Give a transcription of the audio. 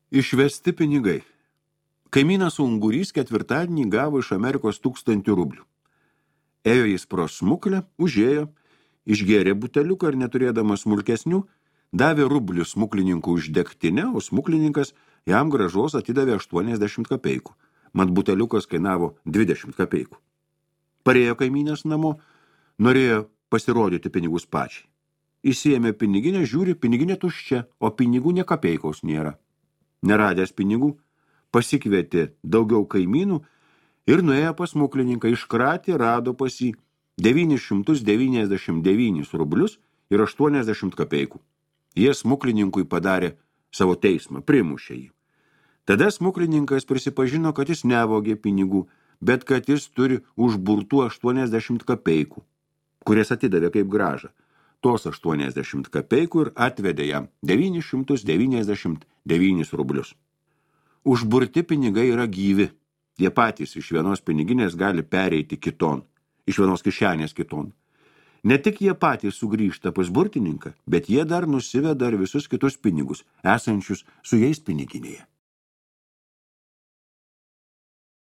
Išvesti pinigai. Kaimynas Ungurys ketvirtadienį gavo iš Amerikos 1000 rublių. Ėjo jis pro smuklę, užėjo, išgėrė buteliuką ir neturėdamas smulkesnių, davė rublių smuklininkų už degtinę, o smuklininkas jam grąžos atidavė 80 kapeikų. Mat buteliukas kainavo 20 kapeikų. Parėjo kaimynės namo, norėjo pasirodyti pinigus pačiai. Įsiėmė piniginę, žiūri, piniginė tuščia, o pinigų nė kapeikos nėra. Neradęs pinigų, pasikvietė daugiau kaimynų ir nuėjo pas smuklininką, iškratė, rado pas jį 999 rublius ir 80 kapeikų. Jie smuklininkui padarė savo teismą, primušė jį. Tada smuklininkas prisipažino, kad jis nevogė pinigų, bet kad jis turi užburtų 80 kapeikų, kurias atidavė kaip grąžą. Tos 80 kapeikų ir atvedė jam 999 rublius. Užburti pinigai yra gyvi. Jie patys iš vienos piniginės gali pereiti kiton, iš vienos kišenės kiton. Ne tik jie patys sugrįžta pas burtininką, bet jie dar nusiveda ir visus kitus pinigus, esančius su jais piniginėje.